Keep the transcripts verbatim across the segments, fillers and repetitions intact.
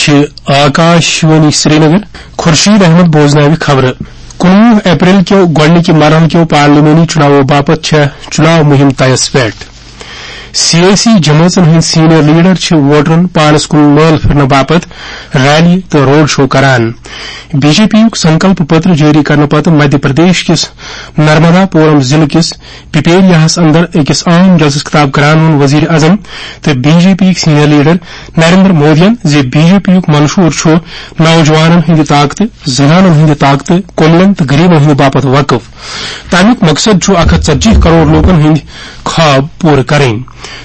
چھِ آکاش وانی سرینگر۔ خورشید احمد بوزناوِ خبرٕ۔ کُنوُہ اپریل کیو گۄڈٕنِکہِ مرحلہٕ کیو پارلیمانی چُناوو باپتھ چھےٚ چُناو مُہِم طیَس پٮ۪ٹھ۔ سیٲسی جمٲژن ہٕنٛدۍ سینئر لیڈر چھِ ووٹرن پانس کُن مٲل پھِرنہٕ باپتھ ریلی تہٕ روڈ شو کران۔ بی جے پی یُک سنکلپ پتر جٲری کرنہٕ پتہٕ مدھیہ پردیش کِس نرمدا پورم ضلعہٕ کِس پپیریاہس اندر أکِس عام جلسس خطاب کران ووٚن وزیر اعظم تہٕ بی جے پی یِکۍ سینئر لیڈر نریندر مودیَن زِ بی جے پی یُک منشور چھُ نوجوانن ہٕنٛدِ طاقتہٕ، زنانن ہٕنٛدِ طاقتہٕ، کُملن تہٕ غریبن ہٕنٛدِ باپتھ وقف۔ تمیُک مقصد چھُ اکھ ہتھ ژتجی کرور لوٗکن ہٕنٛدۍ خواب پوٗرٕ کرٕنۍ۔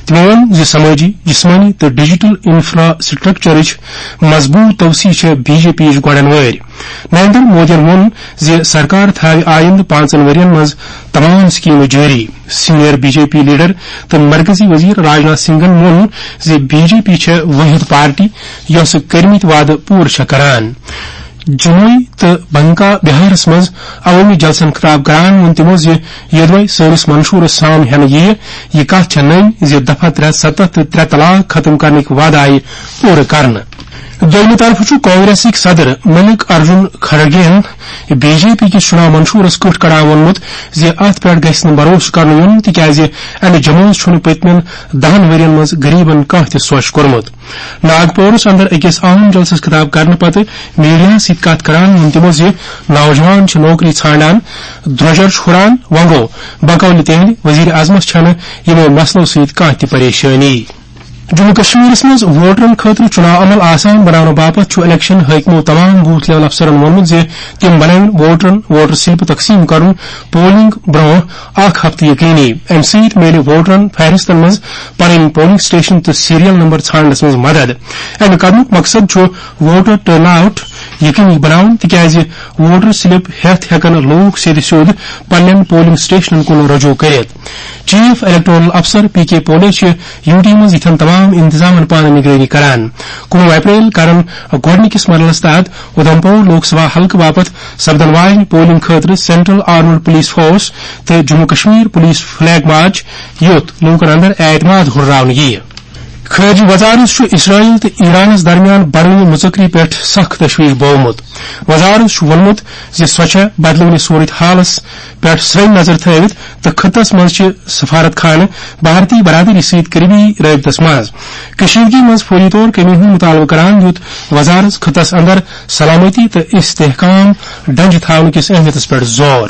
تٔمۍ ووٚن زِ سمٲجی، جسمٲنی تہٕ ڈیجیٹل انفراسٹرکچرٕچ مضبوٗط توسیع چھےٚ بی جے پی یِچ گۄڈن وٲرۍ۔ نریندر مودیَن ووٚن زِ سرکار تھاوِ آیندٕ پانٛژن ؤرین منٛز تمام سکیمہٕ جٲری۔ Senior B J P leader تہٕ مرکزی وزیر راجناتھ سنگھن ووٚن زِ بی جے پی چھےٚ وٲحد پارٹی یۄسہٕ کٔرمٕتۍ وعدٕ پوٗرٕ چھےٚ کران۔ جموئی تہٕ بنکا بہارس منٛز عوٲمی جلسن خطاب کران ووٚن تِمو زِ یوٚدوے سٲنِس منشورس سام ہٮ۪نہٕ یِیہِ، یہِ کتھ چھےٚ نٔنۍ زِ دفعہ ترٛےٚ ستتھ تہٕ ترٛےٚ طلاق ختم کرنٕکۍ وعدٕ آیہِ پوٗرٕ کرنہٕ۔ دوٚیمہِ طرفہٕ چھُ کانگریسٕکۍ صدر ملک ارجن کھڑگے یَن بی جے پی کِس چُناو منشورس کٔٹھ کڑان ووٚنمُت زِ اتھ پٮ۪ٹھ گژھِ نہٕ بھروسہٕ کرنہٕ یُن، تِکیازِ امہِ جمٲژ چھُنہٕ پٔتمٮ۪ن دَہن ؤرین منٛز غریبن کانٛہہ تہِ سۄچھ کوٚرمُت۔ ناگپورس اندر أکِس اہم جلسس خطاب کرنہٕ پتہٕ میڈیاہس سۭتۍ کتھ کران ووٚن تِمو زِ نوجوان چھِ نوکری ژھانڈان، درۄجر چھُ ہُران، وۄنۍ گوٚو بقول تِہنٛدِ وزیر اعظمس چھنہٕ یِمو مسلو سۭتۍ کانٛہہ تہِ پریشٲنی۔ جموں کشمیرس منٛز ووٹرن خٲطرٕ چُناو عمل آسان بناونہٕ باپتھ چھُ الیکشن حٲکمو تمام بوتھ لیول افسرن ووٚنمُت زِ تِم بنٲوِن ووٹرن ووٹر سلپہٕ تقسیٖم کرُن پولنگ برونٛہہ اکھ ہفتہٕ یقینی۔ امہِ سۭتۍ میلہِ ووٹرن فہرستن منٛز پنٕنۍ پولنگ سٹیشن تہٕ سیریل نمبر ژھانڈنس منٛز مدد۔ امہِ قدمُک مقصد چھُ ووٹر ٹرن آؤٹ یقینی بناوُن، تِکیازِ ووٹر سلپ ہٮ۪تھ ہٮ۪کن لوٗکھ سیٚدِ سیوٚد پننٮ۪ن پولنگ سٹیشنن کُن رجوع کٔرِتھ۔ چیف الیکٹورل افسر پی کے پولے چھِ یو ٹی منٛز یِتھٮ۪ن تمام انتظامن پانہٕ نگرٲنی کران۔ کُنوُہ اپریل کرن گۄڈٕنِکِس مرحلس تحت اُدھمپور لوک سبھا حلقہٕ باپتھ سپدن واجنہِ پولنگ خٲطرٕ سینٹرل آرمڈ پولیس فورس تہٕ Jammu Kashmir police flag march, یُتھ لوٗکن اندر اعتماد ہُرراونہٕ یِیہِ۔ خارجہ وزارت چھُ اسرائیل تہٕ ایرانس درمیان بڑوٕنہِ مُژکری پٮ۪ٹھ سخ تشویش بوومُت۔ وزارت چھُ ووٚنمُت زِ سۄ چھےٚ بدلوٕنہِ صورت حالس پٮ۪ٹھ سرٛنۍ نظر تھٲوِتھ تہٕ خطس منٛز چھِ سفارت خانہٕ بھارتی برادری سۭتۍ قریبی رٲبطس منٛز۔ کشیدگی منٛز فوری طور کمی ہُنٛد مطالبہٕ کران دیُت وزارت خطس اندر سلامتی تہٕ استحکام ڈنجہِ تھاونہٕ کِس اہمیتس پٮ۪ٹھ زور۔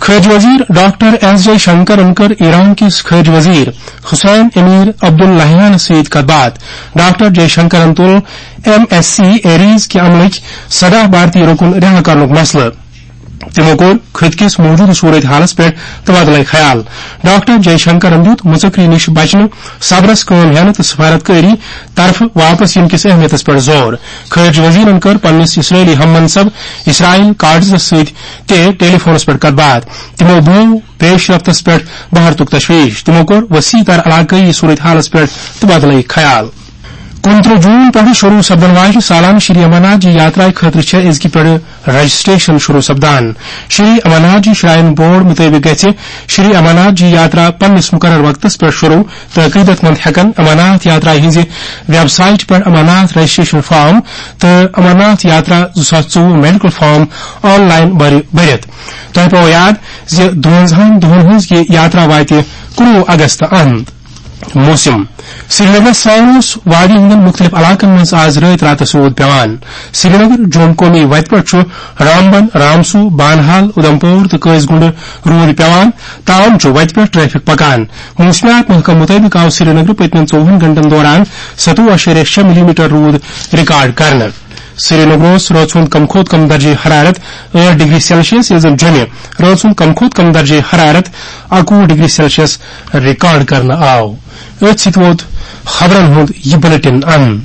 خارجہ وزیر ڈاکٹر ایس جے شنکرن کٔر ایران کِس خارجہ وزیر حسین امیر عبداللہیانس سۭتۍ کتھ باتھ۔ ڈاکٹر جے شنکرن تُل ایم ایس سی ایریز کہِ عملٕکۍ سداہ بھارتی رُکُن رہا کرنُک مسلہٕ۔ تِمو کوٚر خطہٕ کِس موجودٕ صورت حالس پٮ۪ٹھ تبادلہ خیال۔ ڈاکٹر جے شنکرن دیُت مُژکری نِش بچنہٕ، صبرس کٲم ہٮ۪نہٕ تہٕ سفارت کٲری طرفہٕ واپس یِنہٕ کِس اہمیتس پٮ۪ٹھ زور۔ خارجہ وزیرن کٔر پننِس اسرائیلی ہم منصب اسرائیل کاٹزس سۭتۍ تہِ ٹیلی فونس پٮ۪ٹھ کتھ باتھ۔ تِمو بوو پیش رفتس پٮ۪ٹھ بھارتُک تشویش۔ تِمو کوٚر وسیع تر علاقٲیی صورت حالس پٮ۪ٹھ تبادلہ خیال۔ کُنترٕہ جون پٮ۪ٹھٕ شروع سپدن واجنہِ سالانہٕ شری امرناتھ جی یاترا خٲطرٕ چھےٚ أزکہِ پٮ۪ٹھٕ رجسٹریشن شروع سپدان۔ شری امرناتھ جی شراین بورڈ مُطٲبِق گژھِ شری امرناتھ جی یاترا پننِس مقرر وقتس پٮ۪ٹھ شروع تہٕ عقیدت مند ہٮ۪کن امرناتھ یاترا ہٕنٛزِ ویب سایٹ پٮ۪ٹھ امرناتھ رجسٹریشن فارم تہٕ امرناتھ یاترا زٕ ساس ژوٚوُہ میڈیکل فارم آن لائن بھرِ-، بٔرِتھ۔ تۄہہِ پاوو یاد زِ دُوَنزاہَن دۄہَن ہٕنٛز یہِ یاترا واتہِ کُنوُہ اگست اند۔ موسم۔ سرینگرس سان اوس وادی ہٕنٛدٮ۪ن مُختٔلِف علاقن منٛز آز رٲتۍ راتس روٗد پٮ۪وان۔ سرینگر جوم قومی وتہِ پٮ۪ٹھ چھُ رامبن، رامسو، بانہال، اُدھمپور تہٕ قٲضۍ گُنڈ روٗد پٮ۪وان۔ تاہم چھُ وتہِ پٮ۪ٹھ ٹریفک پکان۔ موسمیات محکمہٕ مُطٲبِق آو سرینگرٕ پٔتمٮ۪ن ژوٚوُہن گھنٹن دوران ستوُہ اَشاریہ شےٚ ملی میٹر روٗد ریکارڈ کرنہٕ۔ سرینگرس رٲژ ہُنٛد کم کھۄتہٕ کم درجہ حرارت ٲٹھ ڈگری سیلسیس، ییٚلہِ زن جوٚمہِ رٲژ ہُنٛد کم کھۄتہٕ کم درجہ حرارت اَکوُہ ڈگری سیلسیس ریکارڈ کرنہٕ آو۔ أتھۍ سۭتۍ ووت خبرن ہُنٛد یہِ بلیٹن اند۔